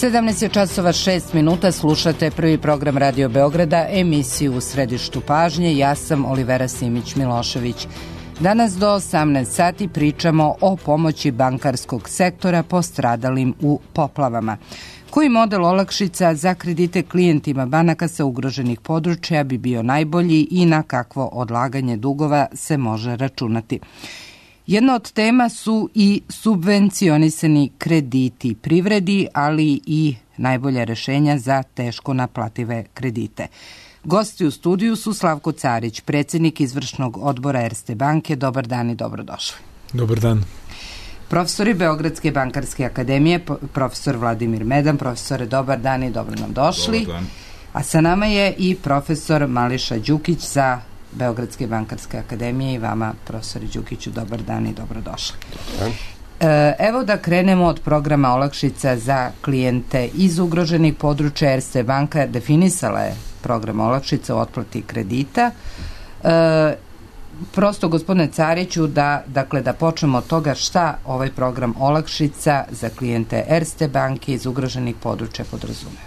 17 je časova 6 minuta, slušate prvi program Radio Beograda, emisiju U središtu pažnje. Ja sam Olivera Simić-Milošević. Danas do 18 sati pričamo o pomoći bankarskog sektora postradalim u poplavama. Koji model olakšica za kredite klijentima banaka sa ugroženih područja bi bio najbolji i na kakvo odlaganje dugova se može računati? Jedna od tema su i subvencionisani krediti privredi, ali i najbolja rešenja za teško naplative kredite. Gosti u studiju su Slavko Carić, predsjednik izvršnog odbora Erste banke. Dobar dan i dobrodošli. Dobar dan. Profesori Beogradske bankarske akademije, profesor Vladimir Medan. Profesore, dobar dan i dobro nam došli. Dobar dan. A sa nama je i profesor Mališa Đukić za Beogradske bankarske akademije. I vama, profesori Đukiću, dobar dan i dobrodošli. Evo da krenemo od programa olakšica za klijente iz ugroženih područja. Erste banka definisala je program olakšica u otplati kredita. Prosto, gospodine Cariću, da počnemo od toga šta ovaj program olakšica za klijente Erste banke iz ugroženih područja podrazumeva.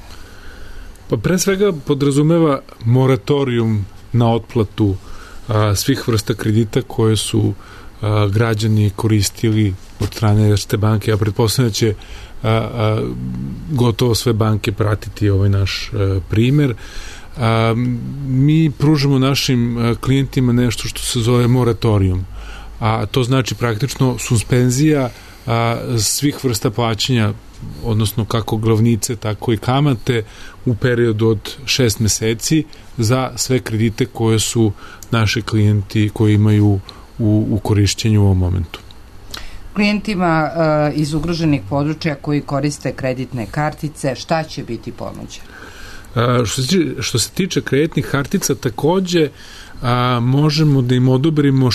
Pa pre svega podrazumeva moratorijum na otplatu svih vrsta kredita koje su građani koristili od strane Erste banke. Ja pretpostavljam da će gotovo sve banke pratiti ovaj naš primer. Mi pružamo našim klijentima nešto što se zove moratorijum, a to znači praktično suspenzija svih vrsta plaćanja, odnosno kako glavnice, tako i kamate u periodu od 6 meseci za sve kredite koje su naši klijenti koji imaju u korišćenju u ovom momentu. Klijentima iz ugroženih područja koji koriste kreditne kartice, šta će biti ponuđeno? Što se tiče kreditnih kartica, takođe možemo da im odobrimo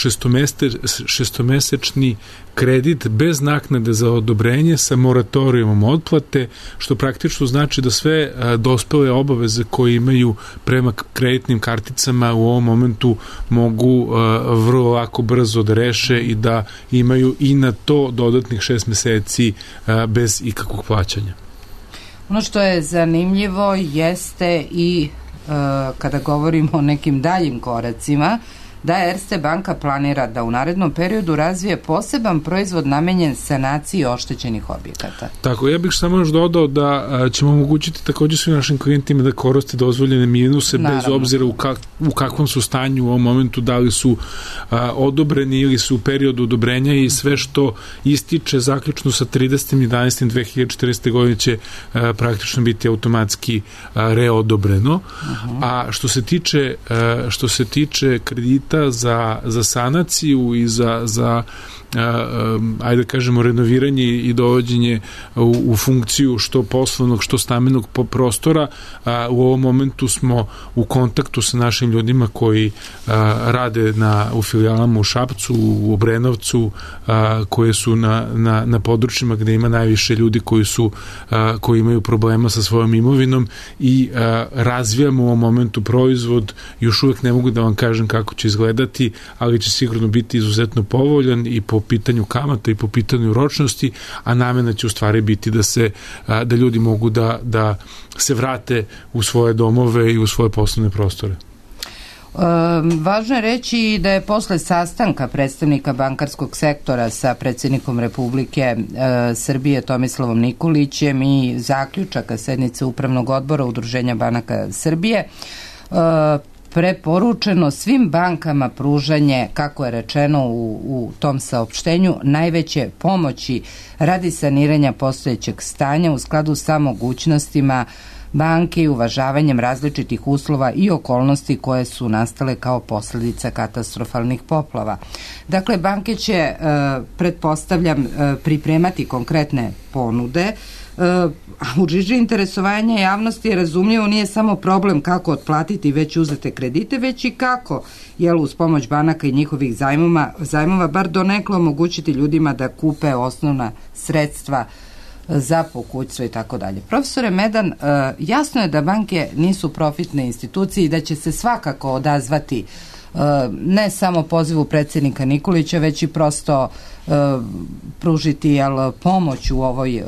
šestomesečni kredit bez naknade za odobrenje sa moratorijumom otplate, što praktično znači da sve dospele obaveze koje imaju prema kreditnim karticama u ovom momentu mogu vrlo lako brzo da reše i da imaju i na to dodatnih 6 meseci bez ikakvog plaćanja. Ono što je zanimljivo jeste i kada govorimo o nekim daljim koracima, da Erste banka planira da u narednom periodu razvije poseban proizvod namenjen sanaciji oštećenih objekata. Tako, ja bih samo još dodao da ćemo omogućiti takođe svim našim klijentima da koriste dozvoljene minuse. Naravno. Bez obzira u kakvom su stanju u ovom momentu, da li su odobreni ili su u periodu odobrenja, i sve što ističe zaključno sa 30.11.2014. godine će praktično biti automatski reodobreno. A što se tiče kredita za sanaciju i za ajde da kažemo renoviranje i dovođenje u funkciju što poslovnog, što stambenog prostora, u ovom momentu smo u kontaktu sa našim ljudima koji rade u filijalama u Šapcu, u Obrenovcu, koje su na područjima gde ima najviše ljudi koji imaju problema sa svojom imovinom, i razvijamo u ovom momentu proizvod. Još uvek ne mogu da vam kažem kako će izgledati, ali će sigurno biti izuzetno povoljan i po pitanju kamata i po pitanju ročnosti, a namena će u stvari biti da ljudi mogu da se vrate u svoje domove i u svoje poslovne prostore. Važno je reći da je posle sastanka predstavnika bankarskog sektora sa predsjednikom Republike Srbije Tomislavom Nikolićem i zaključaka sednice Upravnog odbora Udruženja banaka Srbije preporučeno svim bankama pružanje, kako je rečeno u tom saopštenju, najveće pomoći radi saniranja postojećeg stanja u skladu sa mogućnostima banke i uvažavanjem različitih uslova i okolnosti koje su nastale kao posljedica katastrofalnih poplava. Dakle, banke će, pretpostavljam, pripremati konkretne ponude. U žiži interesovanja javnosti je razumljivo nije samo problem kako otplatiti već uzete kredite, već i kako uz pomoć banaka i njihovih zajmova bar donekle omogućiti ljudima da kupe osnovna sredstva za pokućstvo i tako dalje. Profesore Medan, jasno je da banke nisu profitne institucije i da će se svakako odazvati ne samo pozivu predsjednika Nikolića, već i prosto pružiti pomoć u ovoj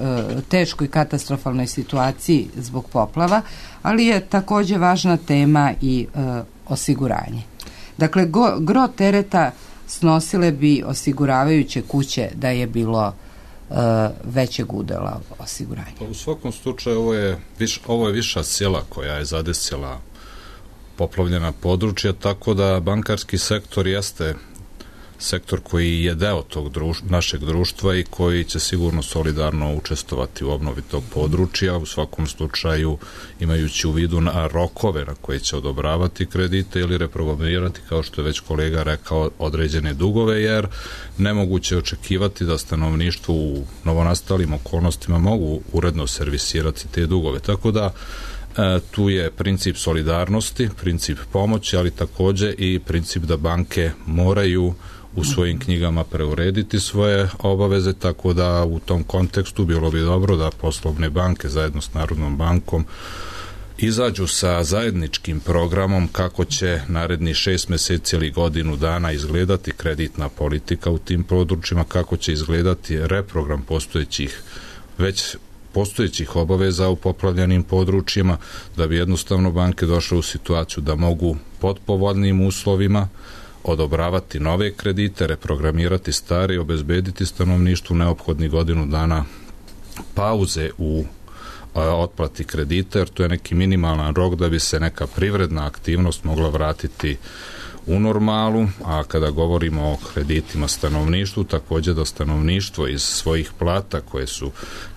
teškoj katastrofalnoj situaciji zbog poplava, ali je također važna tema i osiguranje. Dakle, gro tereta snosile bi osiguravajuće kuće da je bilo većeg udela osiguranja. U svakom slučaju ovo je viša sila koja je zadesila poplavljena područja, tako da bankarski sektor jeste sektor koji je deo tog našeg društva i koji će sigurno solidarno učestvovati u obnovi tog područja, u svakom slučaju imajući u vidu na rokove na koje će odobravati kredite ili reprogramirati, kao što je već kolega rekao, određene dugove, jer nemoguće očekivati da stanovništvo u novonastalim okolnostima mogu uredno servisirati te dugove. Tako da tu je princip solidarnosti, princip pomoći, ali također i princip da banke moraju u svojim knjigama preurediti svoje obaveze, tako da u tom kontekstu bilo bi dobro da poslovne banke zajedno s Narodnom bankom izađu sa zajedničkim programom kako će naredni 6 mjeseci ili godinu dana izgledati kreditna politika u tim područjima, kako će izgledati reprogram postojećih obaveza u poplavljenim područjima, da bi jednostavno banke došle u situaciju da mogu pod povoljnim uslovima odobravati nove kredite, reprogramirati stare i obezbediti stanovništvu neophodnih godinu dana pauze u otplati kredita, jer to je neki minimalan rok da bi se neka privredna aktivnost mogla vratiti u normalu, a kada govorimo o kreditima stanovništvu, također da stanovništvo iz svojih plata koje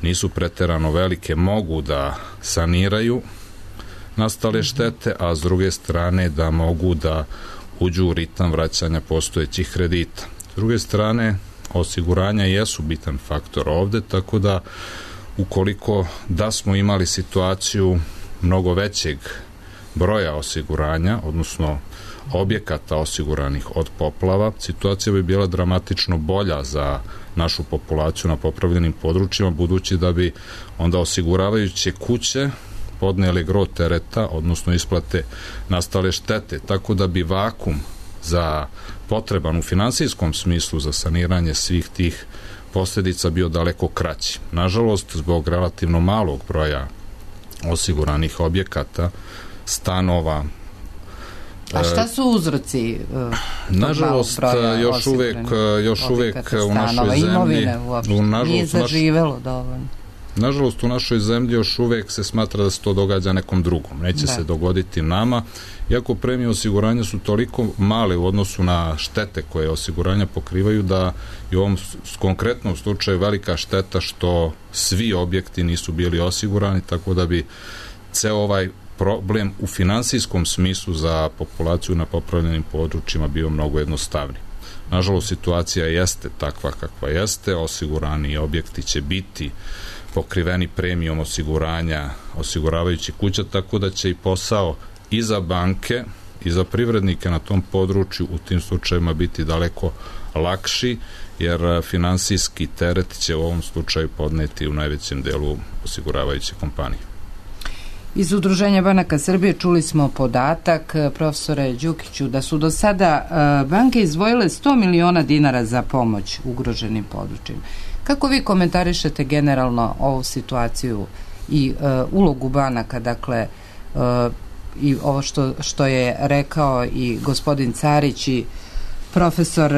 nisu preterano velike mogu da saniraju nastale štete, a s druge strane da mogu da uđu u ritam vraćanja postojećih kredita. S druge strane, osiguranja jesu bitan faktor ovde, tako da ukoliko da smo imali situaciju mnogo većeg broja osiguranja, odnosno objekata osiguranih od poplava, situacija bi bila dramatično bolja za našu populaciju na poplavljenim područjima, budući da bi onda osiguravajuće kuće podnijeli gro tereta, odnosno isplate nastale štete, tako da bi vakum za potreban u finansijskom smislu za saniranje svih tih posljedica bio daleko kraći. Nažalost, zbog relativno malog broja osiguranih objekata, stanova. A šta su uzroci nažalost, još uvek u našoj zemlji nije zaživelo dovoljno. Nažalost, u našoj zemlji još uvek se smatra da se to događa nekom drugom. Neće se dogoditi nama, iako premije osiguranja su toliko male u odnosu na štete koje osiguranja pokrivaju, da je u ovom konkretnom slučaju velika šteta što svi objekti nisu bili osigurani, tako da bi ceo ovaj problem u finansijskom smislu za populaciju na poplavljenim područjima bio mnogo jednostavniji. Nažalost, situacija jeste takva kakva jeste, osigurani objekti će biti pokriveni premijom osiguranja osiguravajući kuća, tako da će i posao i za banke i za privrednike na tom području u tim slučajima biti daleko lakši, jer finansijski teret će u ovom slučaju podneti u najvećem delu osiguravajuće kompanije. Iz Udruženja banaka Srbije čuli smo podatak, profesore Đukiću, da su do sada banke izdvojile 100 miliona dinara za pomoć ugroženim područjima. Kako vi komentarišete generalno ovu situaciju i ulogu banaka, dakle, i ovo što je rekao i gospodin Carić i profesor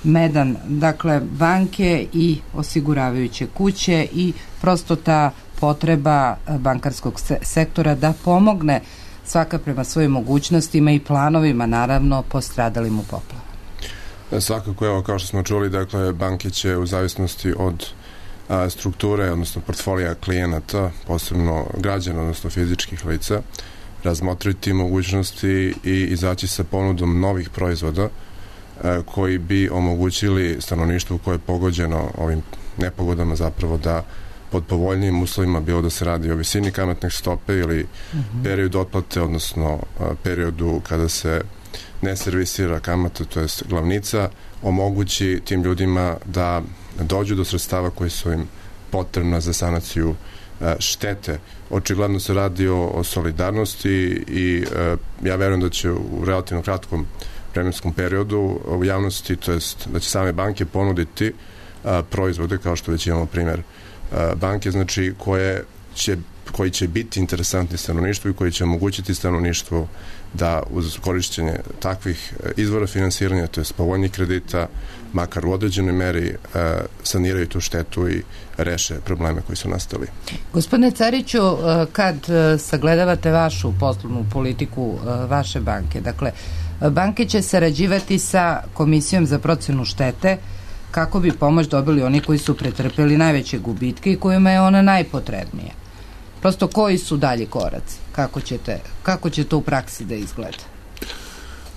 Medan, dakle, banke i osiguravajuće kuće i prosto ta potreba bankarskog sektora da pomogne svaka prema svojim mogućnostima i planovima, naravno, postradalim u poplavu. Svakako, evo, kao što smo čuli, dakle, banke će u zavisnosti od strukture, odnosno portfolija klijenata, posebno građana, odnosno fizičkih lica, razmotriti mogućnosti i izaći sa ponudom novih proizvoda koji bi omogućili stanovništvu koje je pogođeno ovim nepogodama zapravo da pod povoljnijim uslovima, bilo da se radi o visini kamatne stope ili periodu otplate, odnosno periodu kada se ne servisira kamata, to je glavnica, omogući tim ljudima da dođu do sredstava koji su im potrebna za sanaciju štete. Očigledno se radi o solidarnosti i ja verujem da će u relativno kratkom vremenskom periodu u javnosti, to jest da će same banke ponuditi proizvode, kao što već imamo primjer banke, znači koji će biti interesantni stanovništvu i koji će omogućiti stanovništvu da uz korišćenje takvih izvora finansiranja, to je povoljnih kredita, makar u određenoj meri saniraju tu štetu i reše probleme koji su nastali. Gospodine Cariću, kad sagledavate vašu poslovnu politiku vaše banke, dakle, banke će sarađivati sa Komisijom za procenu štete kako bi pomoć dobili oni koji su pretrpeli najveće gubitke i kojima je ona najpotrebnija. Prosto, koji su dalji koraci? Kako će to u praksi da izgleda?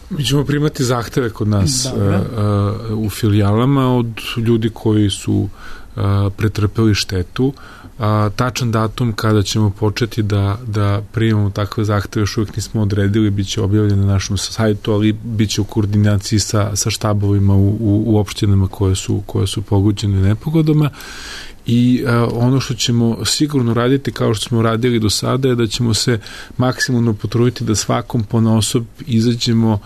Mi ćemo primati zahteve kod nas u filijalama od ljudi koji su pretrpeli štetu. Tačan datum kada ćemo početi da primamo takve zahteve još uvijek nismo odredili, bit će objavljeno na našem sajtu, ali bit će u koordinaciji sa štabovima u opštinama koje su pogođene nepogodama. I ono što ćemo sigurno raditi, kao što smo radili do sada, je da ćemo se maksimalno potruditi da svakom ponaosob izađemo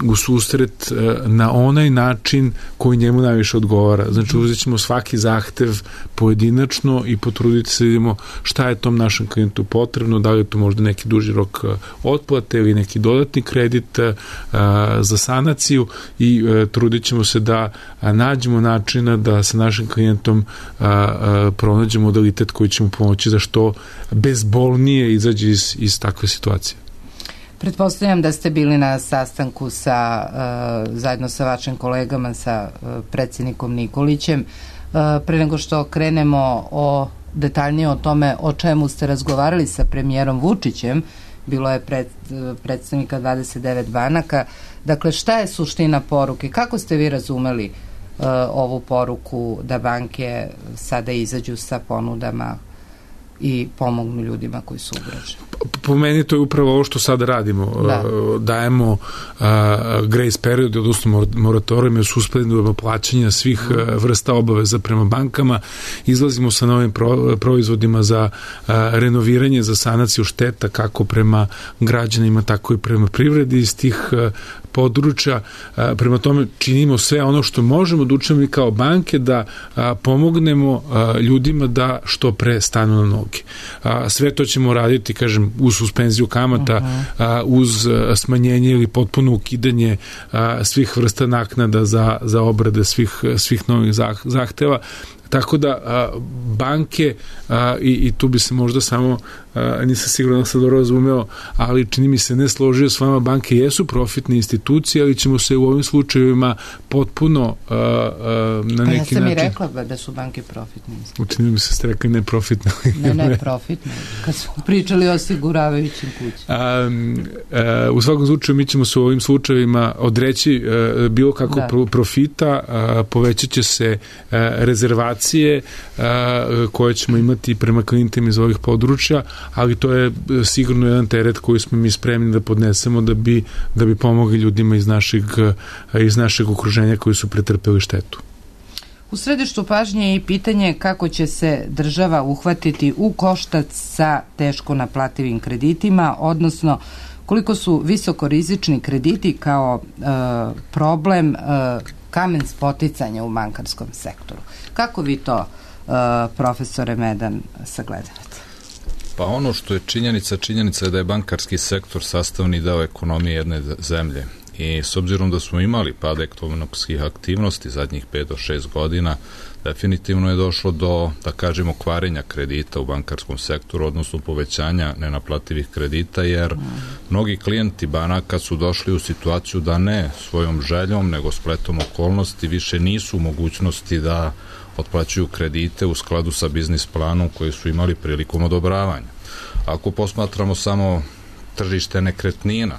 u susret na onaj način koji njemu najviše odgovara. Znači, uzet ćemo svaki zahtev pojedinačno i potruditi se da vidimo šta je tom našem klijentu potrebno, da li je to možda neki duži rok otplate ili neki dodatni kredit za sanaciju i trudit ćemo se da nađemo načina da sa našim klijentom pronađemo modalitet koji će mu pomoći da što bezbolnije izađe iz takve situacije. Pretpostavljam da ste bili na sastanku zajedno sa vašim kolegama, sa predsjednikom Nikolićem. Pre nego što krenemo detaljnije o tome o čemu ste razgovarali sa premijerom Vučićem, bilo je predstavnika 29 banaka. Dakle, šta je suština poruke? Kako ste vi razumeli ovu poruku da banke sada izađu sa ponudama i pomognu ljudima koji su ugroženi? Po meni to je upravo ovo što sada radimo. Dajemo grace period, odnosno moratorijume suspendujemo plaćanja svih vrsta obaveza prema bankama, izlazimo sa novim proizvodima za renoviranje, za sanaciju šteta kako prema građanima, tako i prema privredi iz tih područja. Prema tome činimo sve ono što možemo da učinimo kao banke da pomognemo ljudima da što pre stanu na noge. Sve to ćemo raditi, kažem, uz suspenziju kamata, uz smanjenje ili potpuno ukidanje svih vrsta naknada za obrade svih novih zahteva. Tako da banke, i tu bi se možda samo, nisam sigurno da sam dobro razumeo, ali čini mi se ne složio s vama, banke jesu profitne institucije, ali ćemo se u ovim slučajevima potpuno na neki način... Ja sam i rekla da su banke profitne institucije. Učinili mi se ste rekli neprofitne. Ne profitne, kad smo pričali o osiguravajućim kućama. U svakom slučaju mi ćemo se u ovim slučajevima odreći bilo kako profita, povećat će se rezervacije koje ćemo imati prema klijentima iz ovih područja, ali to je sigurno jedan teret koji smo mi spremni da podnesemo da bi pomogli ljudima iz našeg okruženja koji su pretrpeli štetu. U središtu pažnje je i pitanje kako će se država uhvatiti u koštac sa teško naplativim kreditima, odnosno koliko su visokorizični krediti kao problem kamen spoticanja u bankarskom sektoru. Kako vi to, profesore Medan, sagledavate? Pa ono što je činjenica je da je bankarski sektor sastavni deo ekonomije jedne zemlje i s obzirom da smo imali pad ekonomskih aktivnosti zadnjih 5 do 6 godina, definitivno je došlo do, da kažemo, kvarenja kredita u bankarskom sektoru, odnosno povećanja nenaplativih kredita, jer mnogi klijenti banaka su došli u situaciju da ne svojom željom, nego spletom okolnosti više nisu u mogućnosti da otplaćuju kredite u skladu sa biznis planom koji su imali prilikom odobravanja. Ako posmatramo samo tržište nekretnina,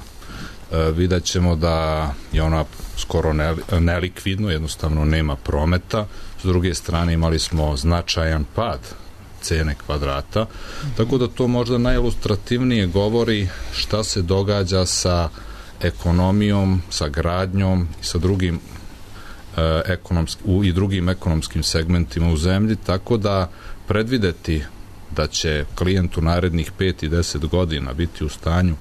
vidjet ćemo da je ona skoro nelikvidno, jednostavno nema prometa. S druge strane imali smo značajan pad cene kvadrata, tako da to možda najilustrativnije govori šta se događa sa ekonomijom, sa gradnjom i sa drugim drugim ekonomskim segmentima u zemlji, tako da predvideti da će klijent u narednih 5 i 10 godina biti u stanju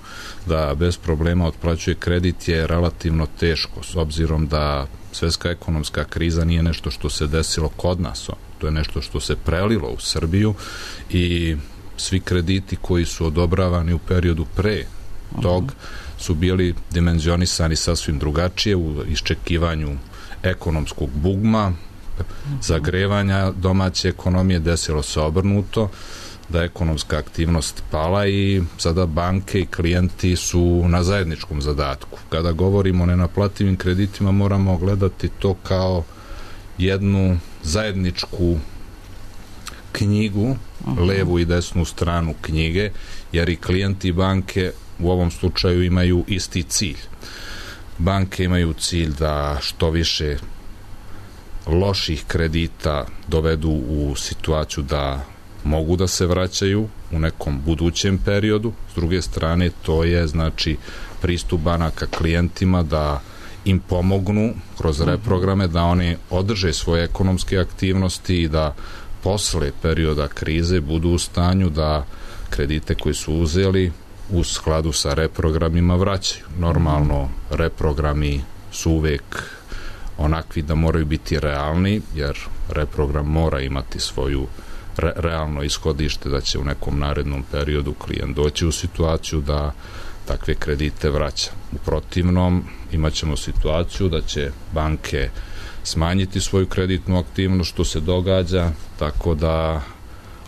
da bez problema otplaćuje kredit je relativno teško, s obzirom da svetska ekonomska kriza nije nešto što se desilo kod nas, to je nešto što se prelilo u Srbiju i svi krediti koji su odobravani u periodu pre tog su bili dimenzionisani sasvim drugačije u iščekivanju ekonomskog bugma, zagrevanja domaće ekonomije, desilo se obrnuto, da je ekonomska aktivnost pala i sada banke i klijenti su na zajedničkom zadatku. Kada govorimo o nenaplativim kreditima, moramo gledati to kao jednu zajedničku knjigu, levu i desnu stranu knjige, jer i klijenti i banke u ovom slučaju imaju isti cilj. Banke imaju cilj da što više loših kredita dovedu u situaciju da mogu da se vraćaju u nekom budućem periodu. S druge strane, to je znači pristup banaka klijentima da im pomognu kroz reprograme da oni održe svoje ekonomske aktivnosti i da posle perioda krize budu u stanju da kredite koje su uzeli u skladu sa reprogramima vraćaju. Normalno, reprogrami su uvek onakvi da moraju biti realni, jer reprogram mora imati svoju realno ishodište da će u nekom narednom periodu klijent doći u situaciju da takve kredite vraća. U protivnom, imat ćemo situaciju da će banke smanjiti svoju kreditnu aktivnost, što se događa, tako da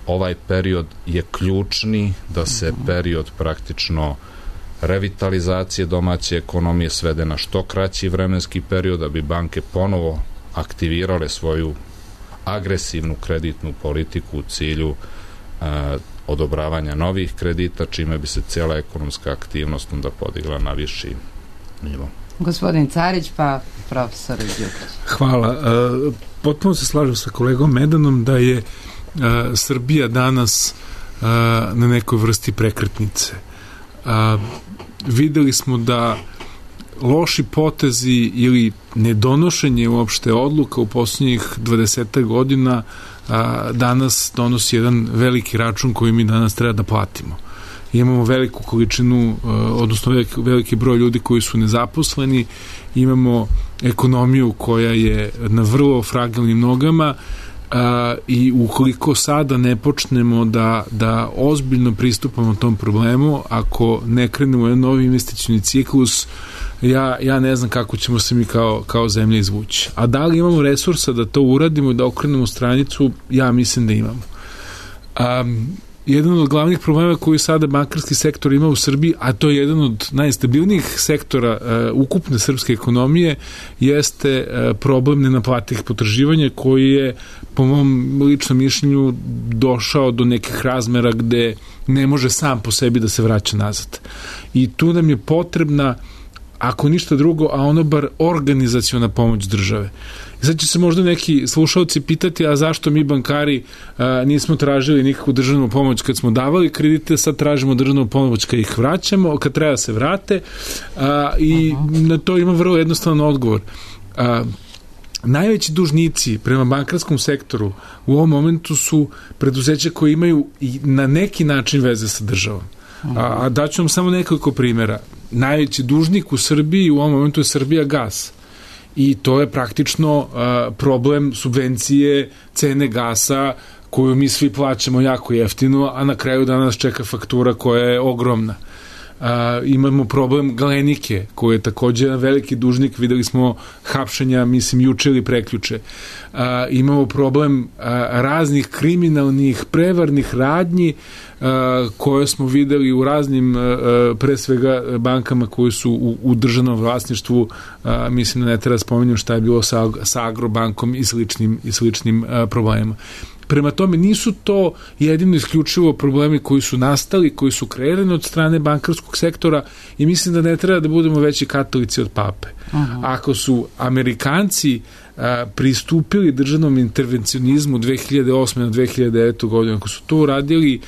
ovaj period je ključni, da se period praktično revitalizacije domaće ekonomije svede na što kraći vremenski period, da bi banke ponovo aktivirale svoju agresivnu kreditnu politiku u cilju odobravanja novih kredita, čime bi se cijela ekonomska aktivnost onda podigla na viši nivo. Gospodin Carić, pa profesor Đukić. Hvala. Potpuno se slažem sa kolegom Medanom da je Srbija danas na nekoj vrsti prekretnice. Videli smo da loši potezi ili nedonošenje uopšte odluka u posljednjih 20 godina danas donosi jedan veliki račun koji mi danas treba da platimo. Imamo veliku količinu, odnosno veliki broj ljudi koji su nezaposleni, imamo ekonomiju koja je na vrlo fragilnim nogama i ukoliko sada ne počnemo da ozbiljno pristupamo tom problemu, ako ne krenemo u jedan novi investicioni ciklus, ja ne znam kako ćemo se mi kao zemlja izvući. A da li imamo resursa da to uradimo, da okrenemo stranicu? Ja mislim da imamo. Jedan od glavnih problema koji sada bankarski sektor ima u Srbiji, a to je jedan od najstabilnijih sektora ukupne srpske ekonomije, jeste problem nenaplativih potraživanja koji je, po mom ličnom mišljenju, došao do nekih razmera gde ne može sam po sebi da se vraća nazad. I tu nam je potrebna, ako ništa drugo, a ono bar organizaciona pomoć države. I sad će se možda neki slušalci pitati, a zašto mi bankari nismo tražili nikakvu državnu pomoć kad smo davali kredite, sad tražimo državnu pomoć kad ih vraćamo, kad treba se vrate, i na to ima vrlo jednostavan odgovor. Najveći dužnici prema bankarskom sektoru u ovom momentu su preduzeća koje imaju i na neki način veze sa državom. A daću vam samo nekoliko primjera. Najveći dužnik u Srbiji u ovom momentu je Srbijagas. I to je praktično problem subvencije cene gasa koju mi svi plaćamo jako jeftino, a na kraju danas čeka faktura koja je ogromna. Imamo problem Galenike, koji je također jedan veliki dužnik, videli smo hapšenja, mislim, juče ili prekjuče. Imamo problem raznih kriminalnih, prevarnih radnji koje smo videli u raznim, pre svega, bankama koji su u državnom vlasništvu. Mislim da ne treba spominjati šta je bilo sa Agrobankom i sličnim problemima. Prema tome, nisu to jedino isključivo problemi koji su nastali, koji su kreirani od strane bankarskog sektora, i mislim da ne treba da budemo veći katolici od pape. Ako su Amerikanci pristupili državnom intervencionizmu 2008. na 2009. godinu, ako su to uradili,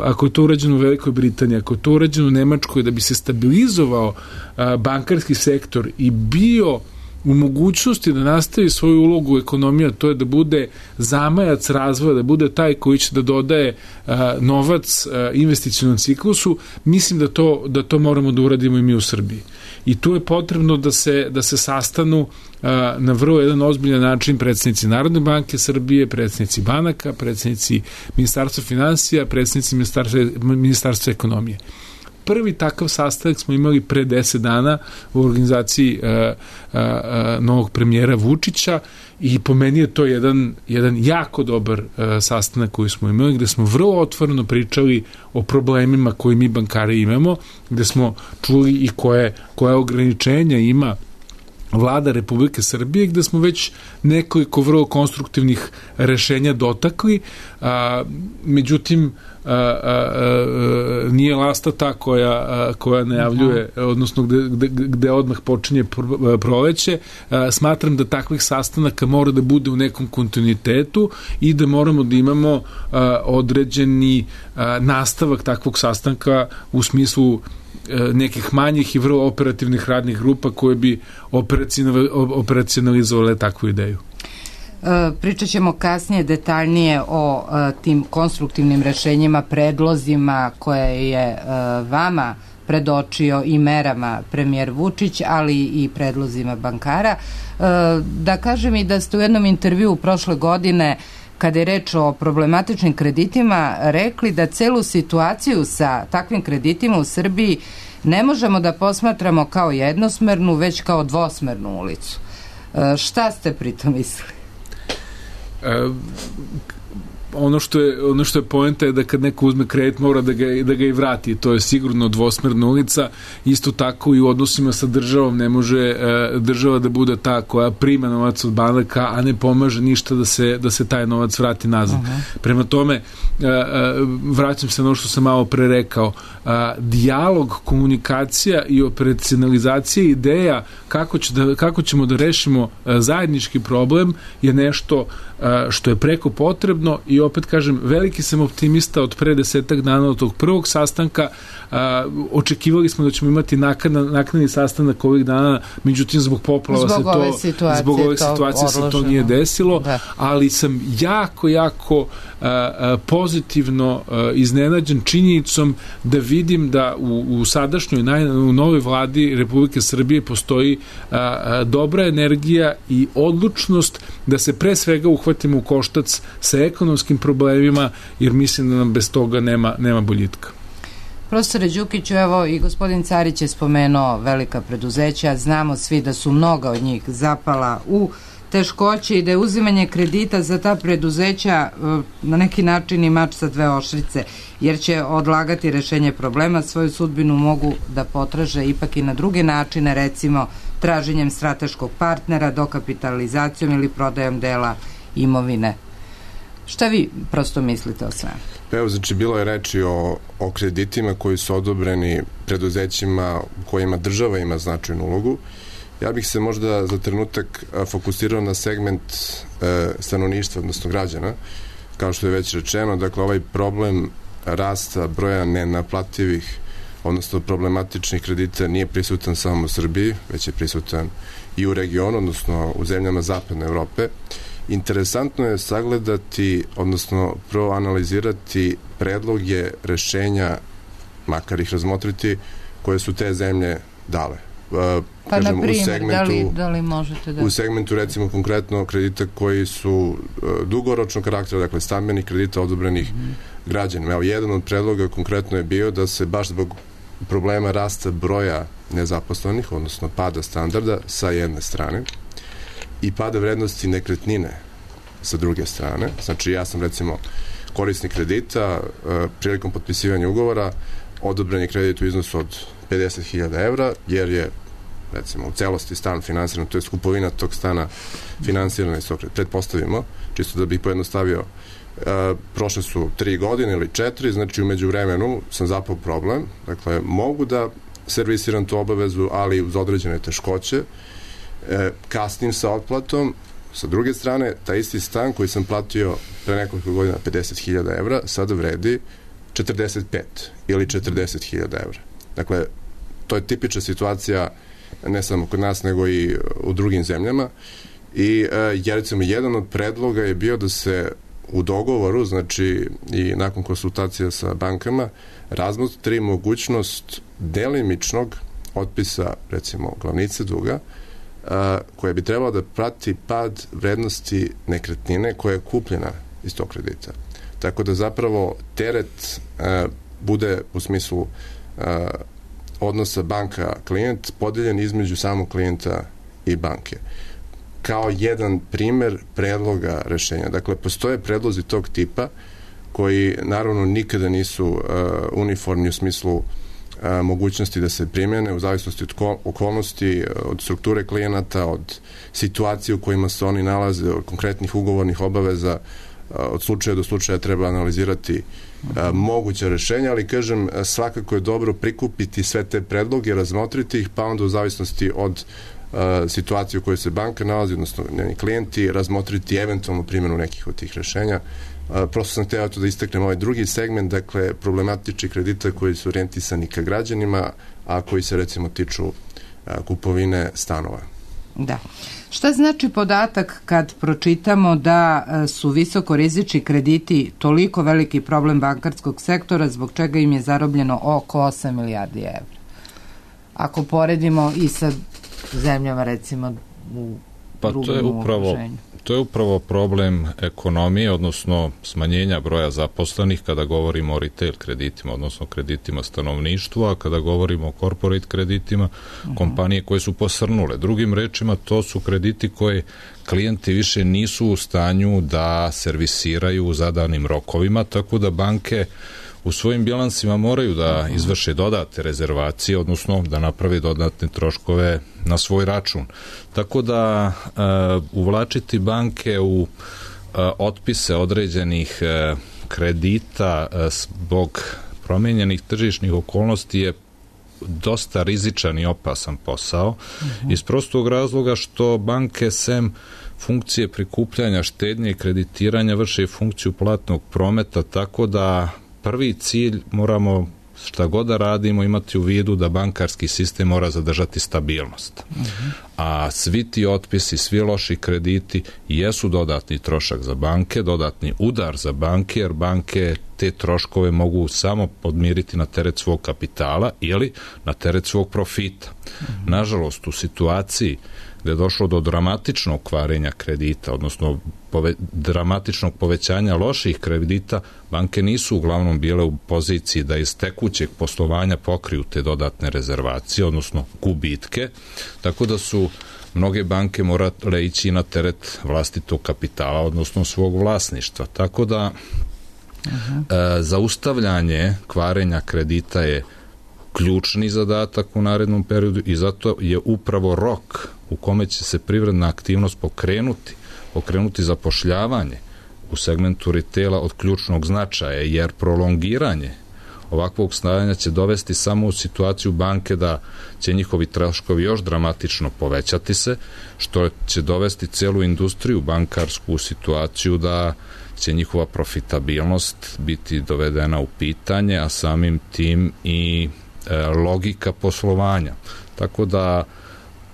ako je to urađeno u Velikoj Britaniji, ako je to urađeno u Nemačkoj, da bi se stabilizovao bankarski sektor i bio u mogućnosti da nastavi svoju ulogu u ekonomiji, to je da bude zamajac razvoja, da bude taj koji će da dodaje novac investicionom ciklusu, mislim da to moramo da uradimo i mi u Srbiji. I tu je potrebno da se sastanu na vrlo jedan ozbiljan način predsednici Narodne banke Srbije, predsednici banaka, predsednici Ministarstva finansija, predsednici Ministarstva ekonomije. Prvi takav sastanak smo imali pre 10 dana u organizaciji novog premijera Vučića i po meni je to jedan jako dobar sastanak koji smo imali, gde smo vrlo otvoreno pričali o problemima koje mi bankari imamo, gde smo čuli i koje ograničenja ima Vlada Republike Srbije, gde smo već nekoliko vrlo konstruktivnih rešenja dotakli, međutim nije lasta ta koja najavljuje, odnosno gde odmah počinje proleće. Smatram da takvih sastanaka mora da bude u nekom kontinuitetu i da moramo da imamo određeni nastavak takvog sastanka u smislu nekih manjih i vrlo operativnih radnih grupa koje bi operacionalizovale takvu ideju. Pričat ćemo kasnije detaljnije o tim konstruktivnim rešenjima, predlozima koje je vama predočio i merama premijer Vučić, ali i predlozima bankara. Da kažem i da ste u jednom intervjuu prošle godine, kada je reč o problematičnim kreditima, rekli da celu situaciju sa takvim kreditima u Srbiji ne možemo da posmatramo kao jednosmernu, već kao dvosmernu ulicu. Šta ste pritom mislili? Ono što je poenta je da kad neko uzme kredit mora da ga i vrati, to je sigurno dvosmerna ulica. Isto tako i u odnosima sa državom ne može država da bude ta koja prima novac od banaka, a ne pomaže ništa da se taj novac vrati nazad. Prema tome, vraćam se na ono što sam malo pre rekao, dijalog, komunikacija i operacionalizacija ideja kako ćemo da rešimo zajednički problem je nešto što je preko potrebno i opet kažem, veliki sam optimista od pre 10 dana od tog prvog sastanka. Očekivali smo da ćemo imati naknadni sastanak ovih dana, međutim zbog poplava zbog ove situacije se to nije desilo, ali sam jako pozitivno iznenađen činjenicom da vidim da u sadašnjoj u novoj vladi Republike Srbije postoji dobra energija i odlučnost da se pre svega uhvatimo u koštac sa ekonomskim problemima, jer mislim da nam bez toga nema boljitka. Profesore Đukiću, evo i gospodin Carić je spomenuo velika preduzeća, znamo svi da su mnoga od njih zapala u teškoće i da je uzimanje kredita za ta preduzeća na neki način i mač sa dve oštrice, jer će odlagati rešenje problema, svoju sudbinu mogu da potraže ipak i na druge načine, recimo traženjem strateškog partnera, dokapitalizacijom ili prodajom dela imovine. Šta vi prosto mislite o svemu? Evo, znači, bilo je reči o kreditima koji su odobreni preduzećima u kojima država ima značajnu ulogu. Ja bih se možda za trenutak fokusirao na segment stanovništva, odnosno građana. Kao što je već rečeno, dakle, ovaj problem rasta broja nenaplativih, odnosno problematičnih kredita nije prisutan samo u Srbiji, već je prisutan i u regionu, odnosno u zemljama zapadne Evrope. Interesantno je sagledati, odnosno proanalizirati predloge rešenja, makar ih razmotriti, koje su te zemlje dale. Pa na primjer, da li možete da... U segmentu, recimo, konkretno kredita koji su dugoročnog karaktera, dakle stambenih kredita odobrenih građanima. Evo, jedan od predloga konkretno je bio da se baš zbog problema rasta broja nezaposlenih, odnosno pada standarda sa jedne strane i pada vrednosti nekretnine sa druge strane. Znači, ja sam, recimo, korisnik kredita, prilikom potpisivanja ugovora odobren je kredit u iznosu od 50.000 evra, jer je, recimo, u celosti stan finansiran, to je kupovina tog stana finansirana iz tog kredita. Pretpostavimo, čisto da bih pojednostavio, prošle su 3 godine ili 4, znači umeđu vremenu sam zapao problem, dakle, mogu da servisiram tu obavezu, ali uz određene teškoće, kasnim sa otplatom. Sa druge strane, taj isti stan koji sam platio pre nekoliko godina 50.000 evra, sada vredi 45 ili 40.000 evra. Dakle, to je tipična situacija ne samo kod nas, nego i u drugim zemljama. I recimo jedan od predloga je bio da se u dogovoru, znači i nakon konsultacija sa bankama, razmotri mogućnost delimičnog otpisa, recimo, glavnice duga, koja bi trebala da prati pad vrednosti nekretnine koja je kupljena iz tog kredita. Tako da zapravo teret bude u smislu odnosa banka-klijent podeljen između samog klijenta i banke. Kao jedan primer predloga rešenja. Dakle, postoje predlozi tog tipa koji naravno nikada nisu uniformni u smislu mogućnosti da se primene u zavisnosti od okolnosti, od strukture klijenata, od situacije u kojima se oni nalaze, od konkretnih ugovornih obaveza, od slučaja do slučaja treba analizirati moguća rešenja, ali kažem, svakako je dobro prikupiti sve te predloge, razmotriti ih, pa onda u zavisnosti od situacije u kojoj se banka nalazi, odnosno njeni klijenti, razmotriti eventualnu primjenu nekih od tih rešenja. Prosto sam hteo da istaknem ovaj drugi segment, dakle, problematični kredita koji su orijentisani ka građanima, a koji se recimo tiču kupovine stanova. Da. Šta znači podatak kad pročitamo da su visokorizični krediti toliko veliki problem bankarskog sektora, zbog čega im je zarobljeno oko 8 milijardi evra? Ako poredimo i sa zemljama, recimo, u drugom okruženju. To je upravo problem ekonomije, odnosno smanjenja broja zaposlenih kada govorimo o retail kreditima, odnosno kreditima stanovništva, a kada govorimo o corporate kreditima, kompanije koje su posrnule. Drugim rečima, to su krediti koje klijenti više nisu u stanju da servisiraju u zadanim rokovima, tako da banke u svojim bilansima moraju da izvrše dodatne rezervacije, odnosno da naprave dodatne troškove na svoj račun. Tako da uvlačiti banke u otpise određenih kredita zbog promenjenih tržišnih okolnosti je dosta rizičan i opasan posao, iz prostog razloga što banke sem funkcije prikupljanja štednje i kreditiranja vrše funkciju platnog prometa, tako da prvi cilj moramo, šta god da radimo, imati u vidu da bankarski sistem mora zadržati stabilnost. A svi ti otpisi, svi loši krediti jesu dodatni trošak za banke, dodatni udar za banke, jer banke te troškove mogu samo podmiriti na teret svog kapitala ili na teret svog profita. Nažalost, u situaciji gde je došlo do dramatičnog kvarenja kredita, odnosno dramatičnog povećanja loših kredita, banke nisu uglavnom bile u poziciji da iz tekućeg poslovanja pokriju te dodatne rezervacije, odnosno gubitke, tako da su mnoge banke morale ići na teret vlastitog kapitala, odnosno svog vlasništva. Tako da zaustavljanje kvarenja kredita je ključni zadatak u narednom periodu i zato je upravo rok u kome će se privredna aktivnost pokrenuti zapošljavanje u segmentu retaila od ključnog značaja, jer prolongiranje ovakvog stanja će dovesti samo u situaciju banke da će njihovi troškovi još dramatično povećati se, što će dovesti celu industriju bankarsku u situaciju da će njihova profitabilnost biti dovedena u pitanje, a samim tim i logika poslovanja. Tako da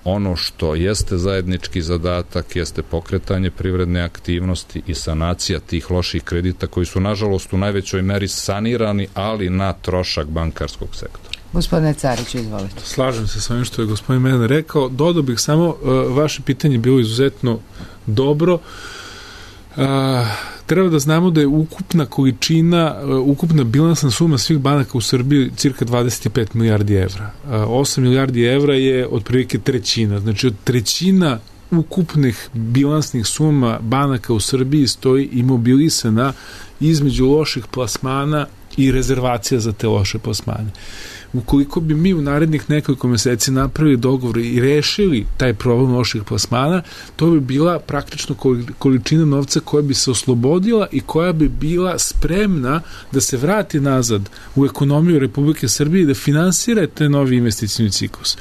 ono što jeste zajednički zadatak jeste pokretanje privredne aktivnosti i sanacija tih loših kredita koji su nažalost u najvećoj meri sanirani, ali na trošak bankarskog sektora. Gospodine Cariću, izvolite. Slažem se sa ovim što je gospodin Medan rekao. Dodao bih samo, vaše pitanje bilo izuzetno dobro. Treba da znamo da je ukupna bilansna suma svih banaka u Srbiji cirka 25 milijardi evra. 8 milijardi evra je otprilike trećina. Znači od trećina ukupnih bilansnih suma banaka u Srbiji stoji imobilisana između loših plasmana i rezervacija za te loše plasmane. Ukoliko bi mi u narednih nekoliko meseci napravili dogovor i rešili taj problem loših plasmana, to bi bila praktično količina novca koja bi se oslobodila i koja bi bila spremna da se vrati nazad u ekonomiju Republike Srbije i da finansira te novi investicioni ciklus.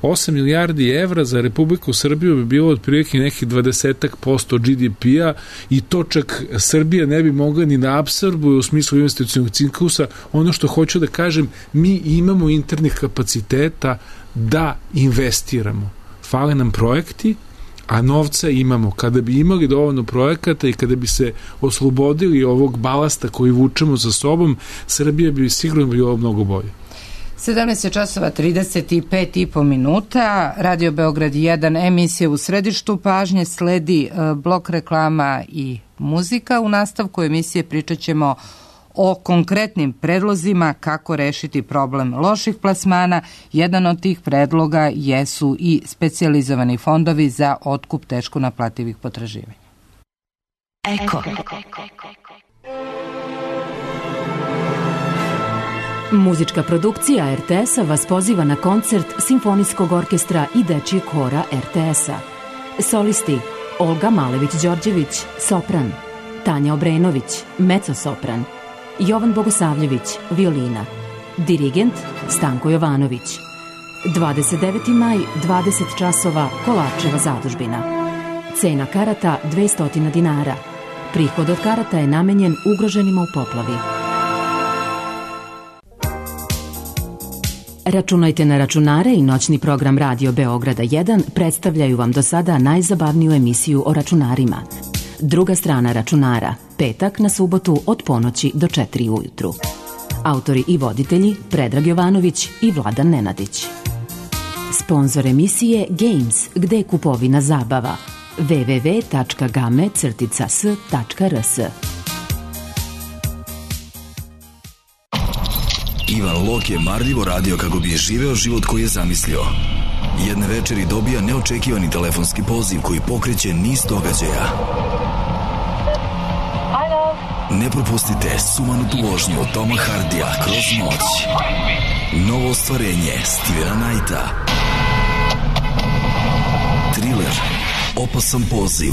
8 milijardi evra za Republiku Srbiju bi bilo otprilike nekih 20% GDP-a i to čak Srbija ne bi mogla ni da apsorbuje u smislu investicionog ciklusa. Ono što hoću da kažem, mi imamo nemamo internih kapaciteta da investiramo. Fale nam projekti, a novca imamo. Kada bi imali dovoljno projekata i kada bi se oslobodili ovog balasta koji vučemo za sobom, Srbija bi sigurno bilo mnogo bolje. 17 časova 35,5 minuta, Radio Beograd 1, emisija u središtu pažnje, sledi blok reklama i muzika. U nastavku emisije pričat ćemo o konkretnim predlozima kako rešiti problem loših plasmana. Jedan od tih predloga jesu i specijalizovani fondovi za otkup teško naplativih potraživanja. Eko. Muzička produkcija RTS-a vas poziva na koncert Simfonijskog orkestra i dečijeg hora RTS-a. Solisti Olga Malević-Đorđević, sopran, Tanja Obrenović, mezzo-sopran, Jovan Bogosavljević, violina, dirigent Stanko Jovanović. 29. maj, 20 časova, Kolarčeva zadužbina. Cena karata 200 dinara. Prihod od karata je namenjen ugroženima u poplavi. Računajte na računare i noćni program Radio Beograda 1 predstavljaju vam do sada najzabavniju emisiju o računarima. Druga strana računara, petak na subotu od ponoći do 4 ujutru. Autori i voditelji Predrag Jovanović i Vladan Nenadić. Sponzor emisije Games, gde je kupovina zabava. www.game-s.rs. Ivan Lok je marljivo radio kako bi je živeo život koji je zamislio. Jedne večeri dobija neočekivani telefonski poziv koji pokreće niz događaja. Ne propustite sumanutu vožnju Toma Hardija kroz noć. Novo ostvarenje Stevena Knighta. Thriller Opasan poziv.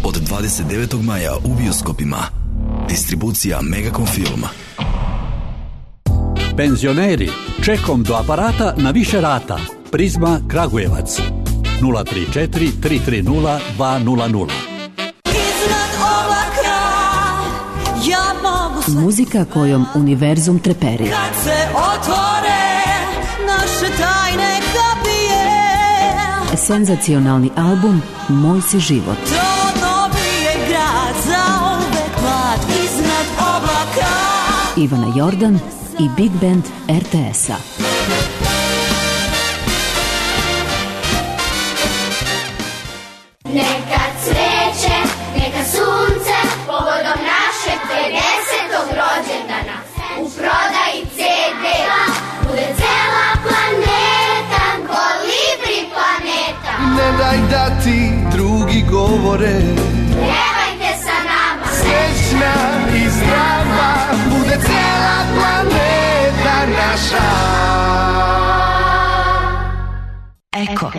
Od 29. maja u bioskopima. Distribucija Megacom Film. Penzioneri, čekom do aparata na više rata. Prizma Kragujevac 034 330 200. Muzika kojom univerzum treperi. Kad se otvore naše tajne kapije. Senzacionalni album Moj si život. To dobije grad za uvek mlad iznad oblaka. Ivana Jordan i Big Band RTS-a. Neka cveće, neka sunce, povodom našeg 50. rođendana. U prodaji CD-a bude cela planeta, Kolibri planeta. Ne daj da ti drugi govore, Pjevajte sa nama, srećna i zdrava, bude cela planeta naša. Eko.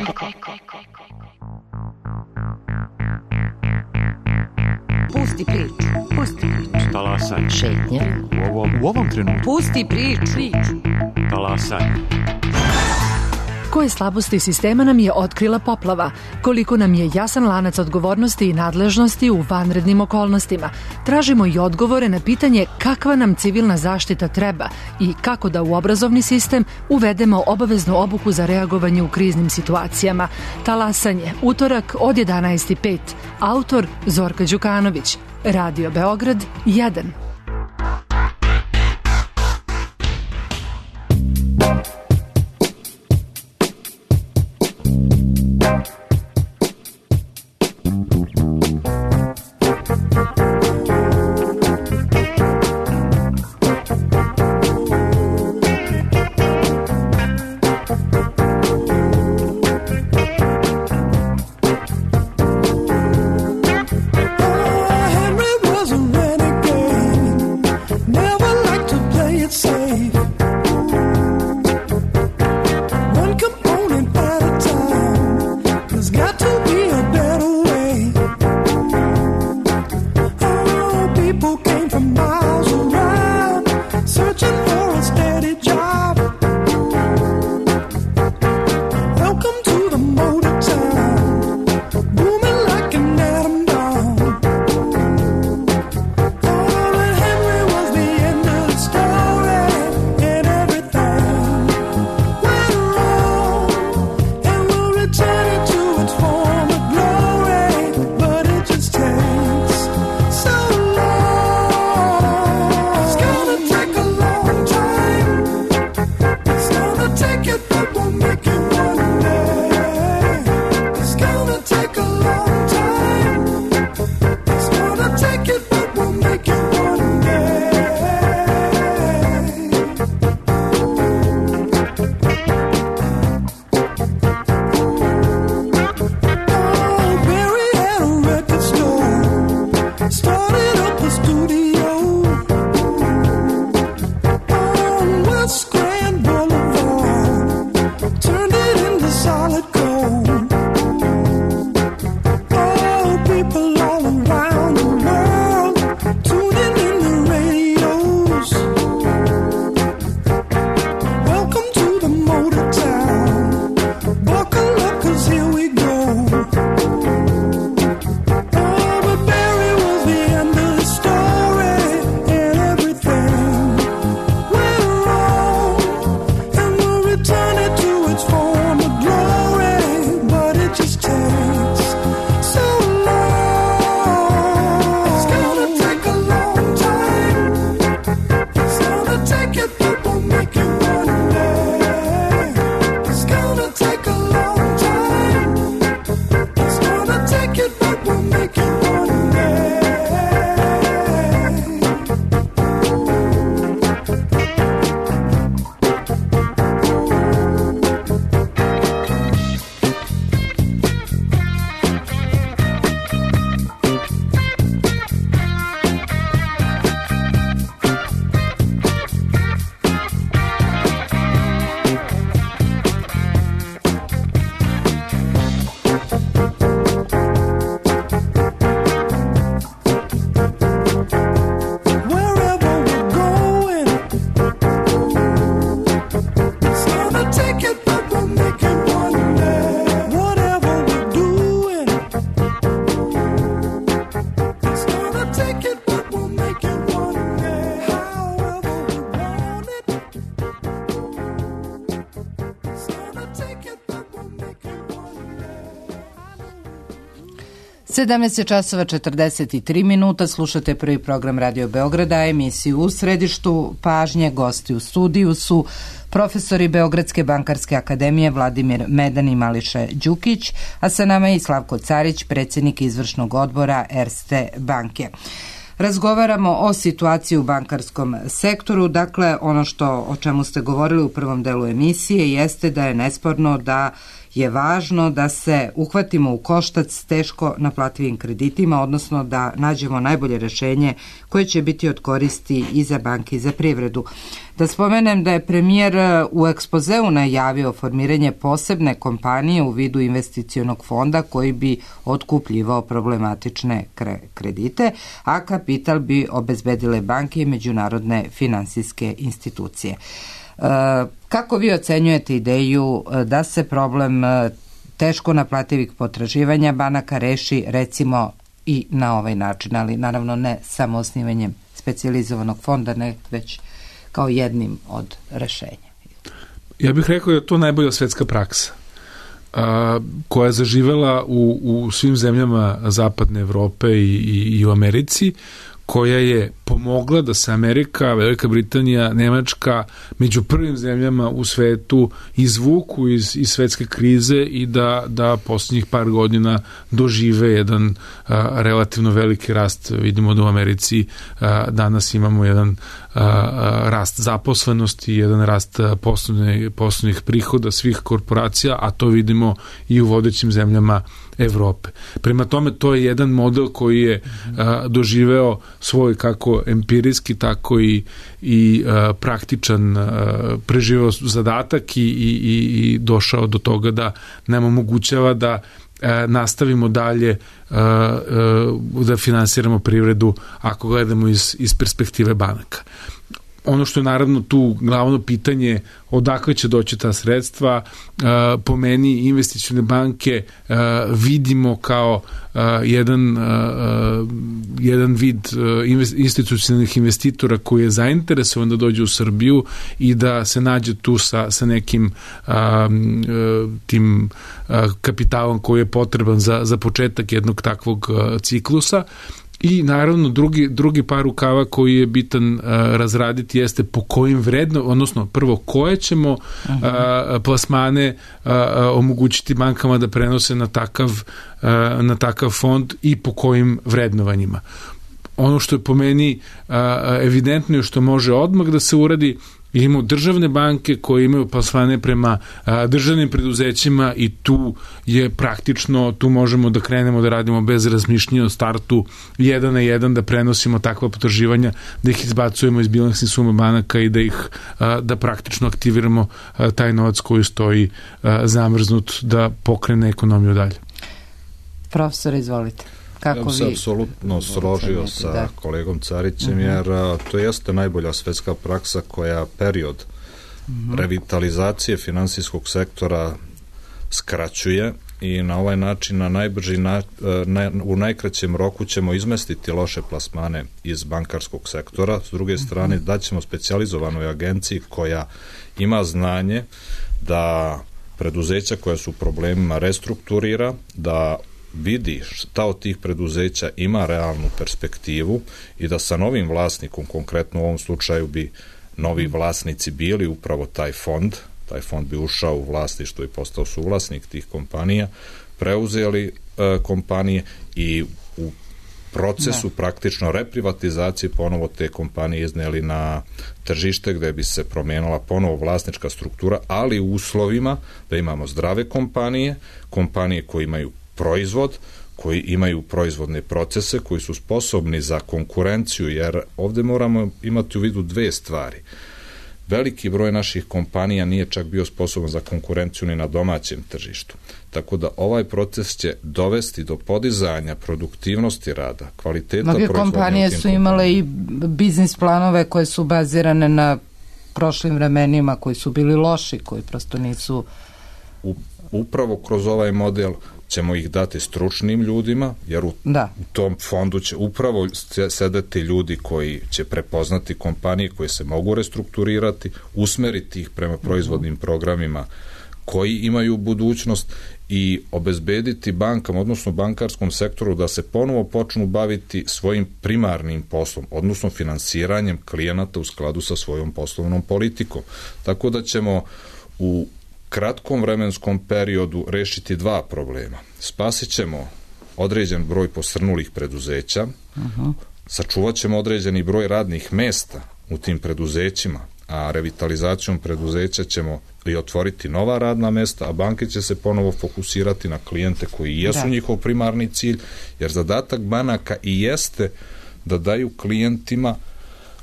Pusti priču. Talasaj. Šetnja. U ovom trenutku. Pusti priču. Talasaj. Koje slabosti sistema nam je otkrila poplava? Koliko nam je jasan lanac odgovornosti i nadležnosti u vanrednim okolnostima? Tražimo i odgovore na pitanje kakva nam civilna zaštita treba i kako da u obrazovni sistem uvedemo obaveznu obuku za reagovanje u kriznim situacijama. Talasanje, utorak od 11:05. Autor Zorka Đukanović. Radio Beograd 1. 17 časova 43 minuta, slušate prvi program Radio Beograda, emisiju U središtu pažnje. Gosti u studiju su profesori Beogradske bankarske akademije Vladimir Medan i Mališe Đukić, a sa nama je i Slavko Carić, predsjednik izvršnog odbora Erste banke. Razgovaramo o situaciji u bankarskom sektoru. Dakle, ono o čemu ste govorili u prvom delu emisije jeste da je nesporno da je važno da se uhvatimo u koštac s teško naplativim kreditima, odnosno da nađemo najbolje rješenje koje će biti od koristi i za banke i za privredu. Da spomenem da je premijer u ekspozeu najavio formiranje posebne kompanije u vidu investicionog fonda koji bi otkupljivao problematične kredite, a kapital bi obezbedile banke i međunarodne finansijske institucije. Kako vi ocenjujete ideju da se problem teško naplativih potraživanja banaka reši recimo i na ovaj način, ali naravno ne samo osnivanjem specijalizovanog fonda, ne već kao jednim od rešenja? Ja bih rekao da je to najbolja svetska praksa koja je zaživela u svim zemljama zapadne Evrope i u Americi, koja je pomogla da se Amerika, Velika Britanija, Nemačka među prvim zemljama u svetu izvuku iz svetske krize i da posljednjih par godina dožive jedan relativno veliki rast. Vidimo da u Americi danas imamo jedan rast zaposlenosti, jedan rast poslovnih prihoda svih korporacija, a to vidimo i u vodećim zemljama Evrope. Prema tome, to je jedan model koji je doživeo svoj kako empirijski, tako i praktičan, preživeo zadatak i došao do toga da nam omogućava da nastavimo dalje da finansiramo privredu ako gledamo iz perspektive banaka. Ono što je naravno tu glavno pitanje, odakle će doći ta sredstva, po meni investicione banke vidimo kao jedan vid institucionalnih investitora koji je zainteresovan da dođe u Srbiju i da se nađe tu sa nekim tim kapitalom koji je potreban za početak jednog takvog ciklusa. I naravno drugi par rukava koji je bitan razraditi jeste po kojim odnosno prvo koje ćemo plasmane omogućiti bankama da prenose na takav fond i po kojim vrednovanjima. Ono što je po meni evidentno je što može odmah da se uradi, imamo državne banke koje imaju plasmane prema državnim preduzećima i tu je praktično, tu možemo da krenemo da radimo bez razmišljanja o startu 1 na 1, da prenosimo takva potraživanja, da ih izbacujemo iz bilansnih suma banaka i da praktično aktiviramo taj novac koji stoji zamrznut da pokrene ekonomiju dalje. Profesor, izvolite. Ja bih se apsolutno složio sa kolegom Carićem, jer to jeste najbolja svetska praksa koja period revitalizacije finansijskog sektora skraćuje i na ovaj način na najbrži u najkraćem roku ćemo izmestiti loše plasmane iz bankarskog sektora. S druge strane, daćemo specijalizovanoj agenciji koja ima znanje da preduzeća koja su u problemima restrukturira, da vidi šta od tih preduzeća ima realnu perspektivu i da sa novim vlasnikom, konkretno u ovom slučaju bi novi vlasnici bili upravo taj fond bi ušao u vlasništvo i postao suvlasnik tih kompanija, preuzeli kompanije i u procesu praktično reprivatizacije ponovo te kompanije izneli na tržište gde bi se promenila ponovo vlasnička struktura, ali u uslovima da imamo zdrave kompanije koje imaju proizvod, koji imaju proizvodne procese, koji su sposobni za konkurenciju, jer ovde moramo imati u vidu dve stvari. Veliki broj naših kompanija nije čak bio sposoban za konkurenciju ni na domaćem tržištu. Tako da ovaj proces će dovesti do podizanja produktivnosti rada, kvaliteta proizvodnje. Mnoge kompanije su imale i biznis planove koje su bazirane na prošlim vremenima, koji su bili loši, koji prosto nisu... Upravo kroz ovaj model ćemo ih dati stručnim ljudima, jer u tom fondu će upravo sedeti ljudi koji će prepoznati kompanije koje se mogu restrukturirati, usmeriti ih prema proizvodnim programima koji imaju budućnost i obezbediti bankama, odnosno bankarskom sektoru da se ponovo počnu baviti svojim primarnim poslom, odnosno finansiranjem klijenata u skladu sa svojom poslovnom politikom. Tako da ćemo u kratkom vremenskom periodu rešiti dva problema. Spasit ćemo određen broj posrnulih preduzeća, sačuvat ćemo određeni broj radnih mesta u tim preduzećima, a revitalizacijom preduzeća ćemo i otvoriti nova radna mesta, a banke će se ponovo fokusirati na klijente koji jesu njihov primarni cilj, jer zadatak banaka i jeste da daju klijentima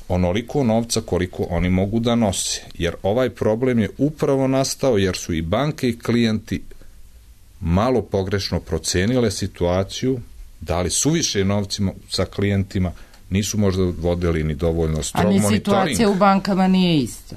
onoliko novca koliko oni mogu da nose. Jer ovaj problem je upravo nastao jer su i banke i klijenti malo pogrešno procenile situaciju, dali suviše novcima sa klijentima, nisu možda vodili ni dovoljno strog monitoring. A ni situacija u bankama nije ista.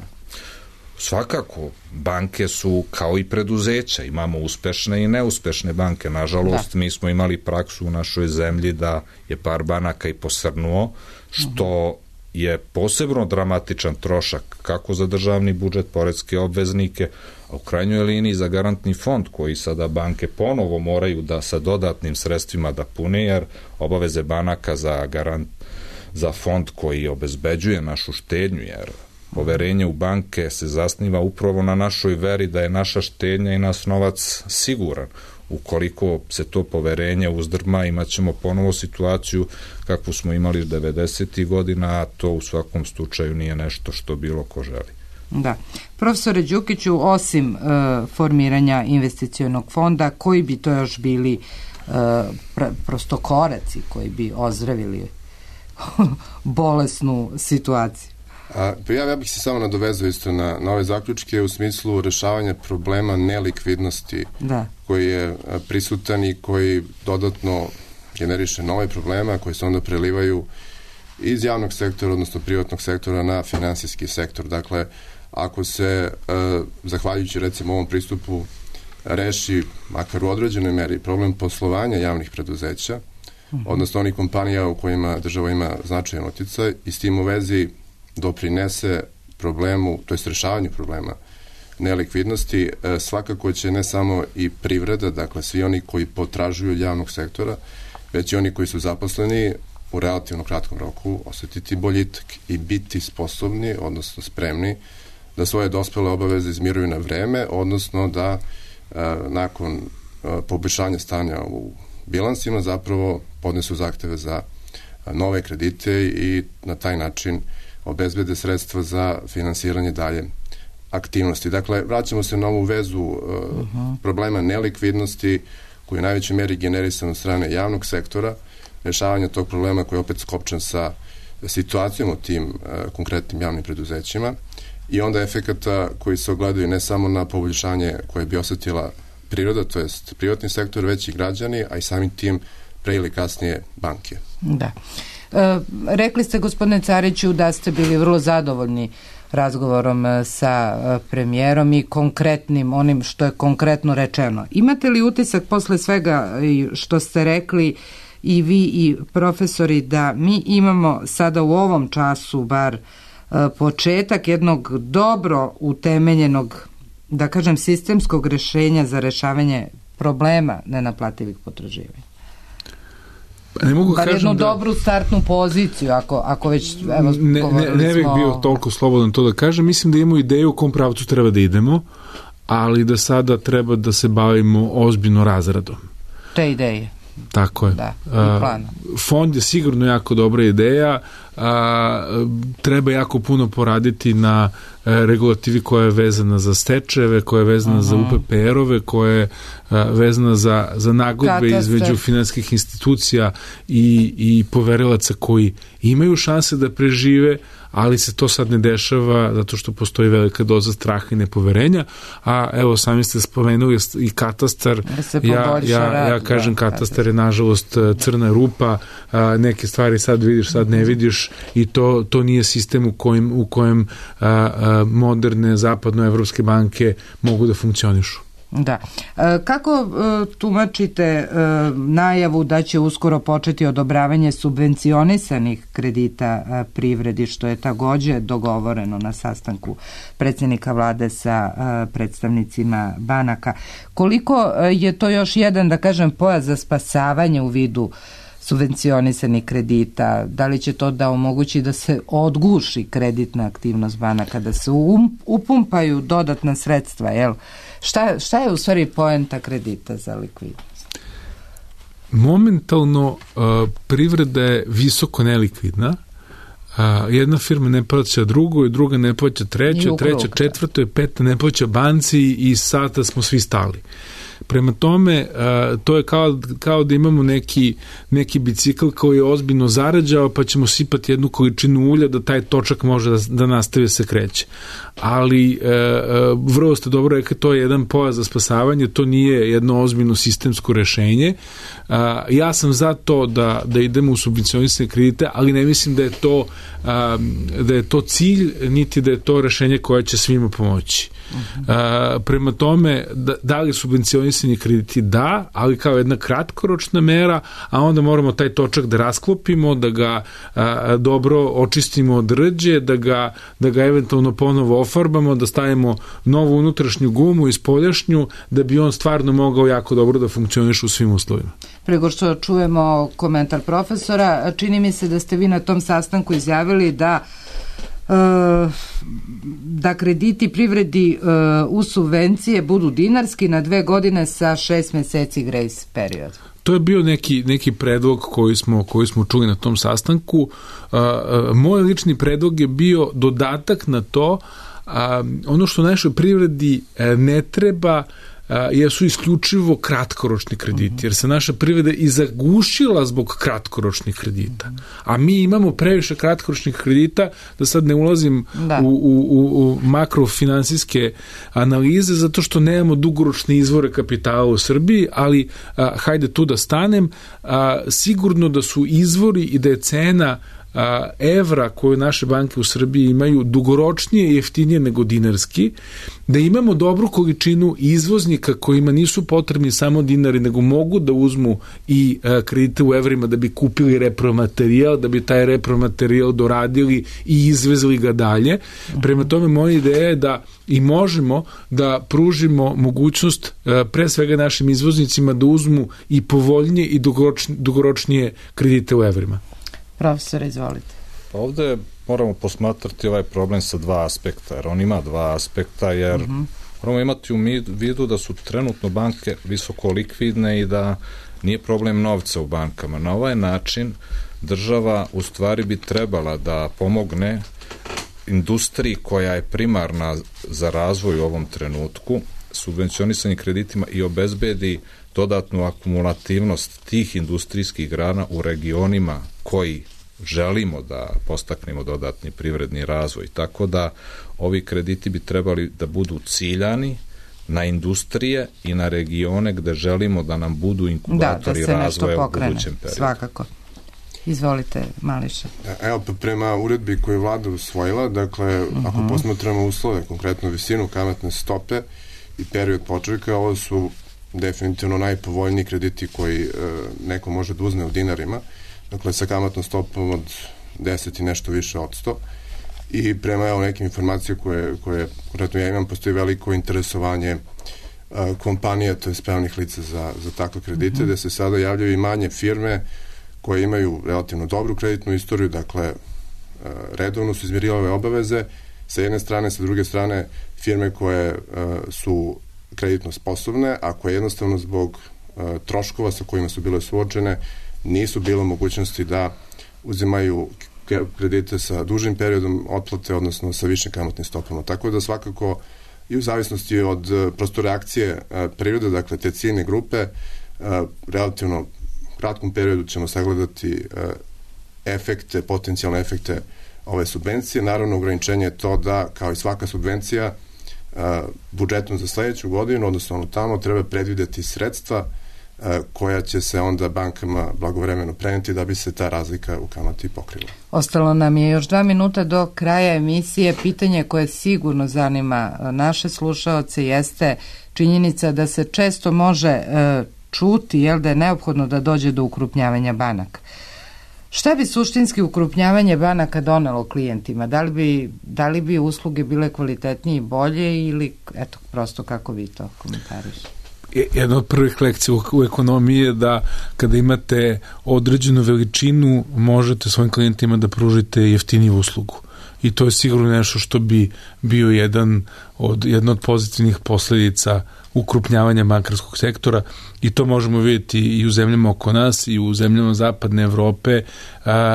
Svakako, banke su kao i preduzeća, imamo uspešne i neuspešne banke. Nažalost, mi smo imali praksu u našoj zemlji da je par banaka i posrnuo, što je posebno dramatičan trošak kako za državni budžet, poreske obveznike, a u krajnjoj liniji za garantni fond koji sada banke ponovo moraju da sa dodatnim sredstvima da pune, jer obaveze banaka za fond koji obezbeđuje našu štednju, jer poverenje u banke se zasniva upravo na našoj veri da je naša štednja i naš novac siguran. Ukoliko se to poverenje uzdrma, imat ćemo ponovo situaciju kakvu smo imali 90. godina, a to u svakom slučaju nije nešto što bilo ko želi. Da. Profesore Đukiću, osim formiranja investicionog fonda, koji bi to još bili prosto koraci koji bi ozdravili bolesnu situaciju? Ja bih se samo nadovezao isto na ove zaključke u smislu rešavanja problema nelikvidnosti koji je prisutan i koji dodatno generiše nove probleme koji se onda prelivaju iz javnog sektora, odnosno privatnog sektora na finansijski sektor. Dakle, ako se, zahvaljujući recimo ovom pristupu, reši, makar u određenoj meri, problem poslovanja javnih preduzeća, odnosno onih kompanija u kojima država ima značajan uticaj i s tim u vezi doprinese problemu, to jest rešavanju problema nelikvidnosti, svakako će ne samo i privreda, dakle svi oni koji potražuju od javnog sektora, već i oni koji su zaposleni u relativno kratkom roku osetiti boljitak i biti sposobni, odnosno spremni da svoje dospele obaveze izmiruju na vreme, odnosno da nakon poboljšanja stanja u bilansima zapravo podnesu zahteve za nove kredite i na taj način obezbede sredstva za finansiranje dalje aktivnosti. Dakle, vraćamo se na ovu vezu problema nelikvidnosti koji je u najvećoj meri generisan od strane javnog sektora, rešavanja tog problema koji je opet skopčan sa situacijom u tim konkretnim javnim preduzećima i onda efekata koji se ogledaju ne samo na poboljšanje koje bi osetila priroda, to jest privatni sektor, već i građani, a i samim tim pre ili kasnije banke. Da. Rekli ste, gospodine Cariću, da ste bili vrlo zadovoljni razgovorom sa premijerom i konkretnim, onim što je konkretno rečeno. Imate li utisak posle svega što ste rekli i vi i profesori da mi imamo sada u ovom času bar početak jednog dobro utemeljenog, da kažem, sistemskog rešenja za rešavanje problema nenaplativih potraživanja? Ne mogu bar jednu dobru startnu poziciju, ako već ne bih bio toliko slobodan to da kažem. Mislim da imamo ideju u kom pravcu treba da idemo, ali da sada treba da se bavimo ozbiljno razradom te ideje. Tako je. Da, i plana. Fond je sigurno jako dobra ideja, treba jako puno poraditi na regulativi koja je vezana za stečajeve, koja je vezana za UPPR-ove, koja je vezana za nagodbe između finansijskih institucija i poverilaca koji imaju šanse da prežive, ali se to sad ne dešava zato što postoji velika doza straha i nepoverenja, a evo sami ste spomenuli i katastar, ja kažem katastar je nažalost crna rupa, neke stvari sad vidiš, sad ne vidiš i to nije sistem u kojem moderne zapadnoevropske banke mogu da funkcionišu. Da. Kako tumačite najavu da će uskoro početi odobravanje subvencionisanih kredita privredi, što je takođe dogovoreno na sastanku predsjednika vlade sa predstavnicima banaka? Koliko je to još jedan, da kažem, pojas za spasavanje u vidu subvencionisanih kredita? Da li će to da omogući da se odguši kreditna aktivnost banaka, da se upumpaju dodatna sredstva, jel? Šta je u stvari poenta kredita za likvidnost? Momentalno privreda je visoko nelikvidna. Jedna firma ne plaća drugu, druga ne plaća treću, treća četvrtu, je peta ne plaća banci i sada smo svi stali. Prema tome, to je kao da imamo neki bicikl koji je ozbiljno zarađao, pa ćemo sipati jednu količinu ulja da taj točak može da nastavi se kreće. Ali vrlo ste dobro rekli, to je jedan pojas za spasavanje, to nije jedno ozbiljno sistemsko rešenje. Ja sam za to da idemo u subvencionisane kredite, ali ne mislim da je to cilj, niti da je to rešenje koje će svima pomoći. Prema tome, da li subvencionisani krediti? Da, ali kao jedna kratkoročna mera, a onda moramo taj točak da rasklopimo, da ga dobro očistimo od rđe, da ga eventualno ponovo ofarbamo, da stavimo novu unutrašnju gumu i spoljašnju, da bi on stvarno mogao jako dobro da funkcioniše u svim uslovima. Prego što čujemo komentar profesora, čini mi se da ste vi na tom sastanku izjavili da krediti privredi u subvencije budu dinarski na 2 godine sa 6 meseci grace period. To je bio neki predlog koji smo čuli na tom sastanku. Moj lični predlog je bio dodatak na to, ono što našoj privredi ne treba jesu isključivo kratkoročni krediti, jer se naša privreda i zagušila zbog kratkoročnih kredita. A mi imamo previše kratkoročnih kredita, da sad ne ulazim u makrofinansijske analize, zato što nemamo dugoročne izvore kapitala u Srbiji, ali hajde tu da stanem. Sigurno da su izvori i da je cena evra koje naše banke u Srbiji imaju dugoročnije i jeftinije nego dinarski, da imamo dobru količinu izvoznika kojima nisu potrebni samo dinari, nego mogu da uzmu i kredite u evrima da bi kupili repromaterijal, da bi taj repromaterijal doradili i izvezli ga dalje. Prema tome, moja ideja je da i možemo da pružimo mogućnost pre svega našim izvoznicima da uzmu i povoljnije i dugoročnije kredite u evrima. Profesor, izvolite. Pa ovde moramo posmatrati ovaj problem sa 2 aspekta, jer on ima 2 aspekta, jer moramo imati u vidu da su trenutno banke visoko likvidne i da nije problem novca u bankama. Na ovaj način država u stvari bi trebala da pomogne industriji koja je primarna za razvoj u ovom trenutku, subvencionisanim kreditima i obezbedi dodatnu akumulativnost tih industrijskih grana u regionima koji želimo da postaknemo dodatni privredni razvoj. Tako da ovi krediti bi trebali da budu ciljani na industrije i na regione gde želimo da nam budu inkubatori razvoja u budućem periodu. Svakako. Izvolite, Mališa. Evo, prema uredbi koju je vlada usvojila, dakle, ako posmatramo uslove, konkretno visinu kamatne stope i period počeka, ovo su definitivno najpovoljniji krediti koji neko može da uzme u dinarima, dakle sa kamatnom stopom od 10 i nešto više od 100. I prema nekim informacije koje konkretno ja imam, postoji veliko interesovanje kompanija, to je pravnih lica za takve kredite, gde se sada javljaju i manje firme koje imaju relativno dobru kreditnu istoriju, dakle redovno su izmirivale obaveze sa jedne strane, sa druge strane firme koje su kreditno sposobne, a koje jednostavno zbog troškova sa kojima su bile suočene nisu bilo mogućnosti da uzimaju kredite sa dužim periodom otplate, odnosno sa višim kamatnim stopama. Tako da svakako i u zavisnosti od prosto reakcije prirode, dakle te ciljne grupe, relativno kratkom periodu ćemo sagledati efekte, potencijalne efekte ove subvencije. Naravno, ograničenje je to da, kao i svaka subvencija, budžetom za sledeću godinu, odnosno tamo treba predvideti sredstva koja će se onda bankama blagovremeno preneti da bi se ta razlika u kamati pokrila. Ostalo nam je još 2 minuta do kraja emisije. Pitanje koje sigurno zanima naše slušaoce jeste činjenica da se često može čuti da je neophodno da dođe do ukrupnjavanja banaka. Šta bi suštinski ukrupnjavanje banaka donelo klijentima? Da li bi usluge bile kvalitetnije i bolje ili prosto kako vi to komentarišete? Jedna od prvih lekcija u ekonomiji je da kada imate određenu veličinu možete svojim klijentima da pružite jeftiniju uslugu. I to je sigurno nešto što bi bio jedna od pozitivnih posledica ukrupnjavanja bankarskog sektora i to možemo vidjeti i u zemljama oko nas i u zemljama zapadne Evrope.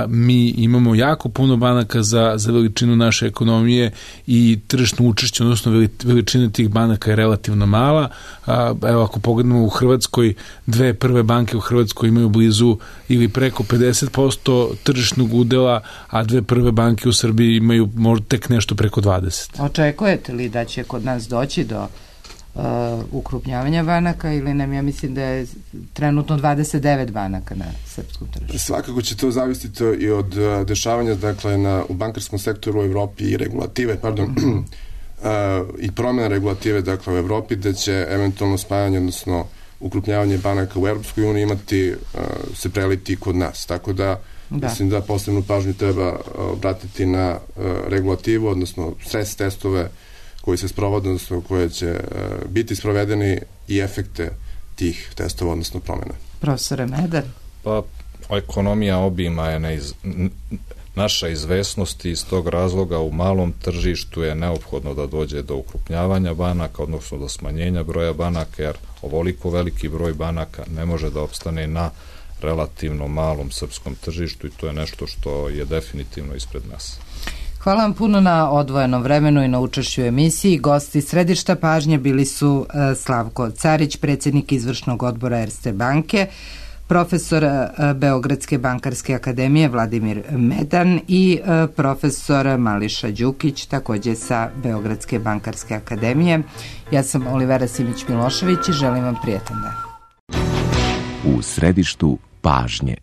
Mi imamo jako puno banaka za veličinu naše ekonomije i tržišno učešće, odnosno veličina tih banaka je relativno mala. Evo ako pogledamo u Hrvatskoj, 2 prve banke u Hrvatskoj imaju blizu ili preko 50% tržišnog udela, a 2 prve banke u Srbiji imaju možda tek nešto preko 20%. Očekujete li da će kod nas doći do ukrupnjavanja banaka ili nam, ja mislim da je trenutno 29 banaka na srpskom tržištu? Svakako će to zavisiti i od dešavanja u bankarskom sektoru u Evropi i regulative, i promjena regulative u Evropi, da će eventualno spajanje, odnosno ukrupnjavanje banaka u Evropskoj uniji imati se preliti kod nas. Tako da mislim da posebnu pažnju treba obratiti na regulativu, odnosno stres testove koji se sprovode, odnosno koje će biti sprovedeni i efekte tih testova, odnosno promjene. Profesore Medar? Pa, ekonomija obima je naša izvesnost i iz tog razloga u malom tržištu je neophodno da dođe do ukrupnjavanja banaka, odnosno do smanjenja broja banaka, jer ovoliko veliki broj banaka ne može da opstane na relativno malom srpskom tržištu i to je nešto što je definitivno ispred nas. Hvala vam puno na odvojenom vremenu i na učešću u emisiji. Gosti središta pažnje bili su Slavko Carić, predsjednik izvršnog odbora Erste banke, profesor Beogradske bankarske akademije Vladimir Medan i profesor Mališa Đukić, također sa Beogradske bankarske akademije. Ja sam Olivera Simić-Milošević i želim vam prijetan dan. U središtu pažnje.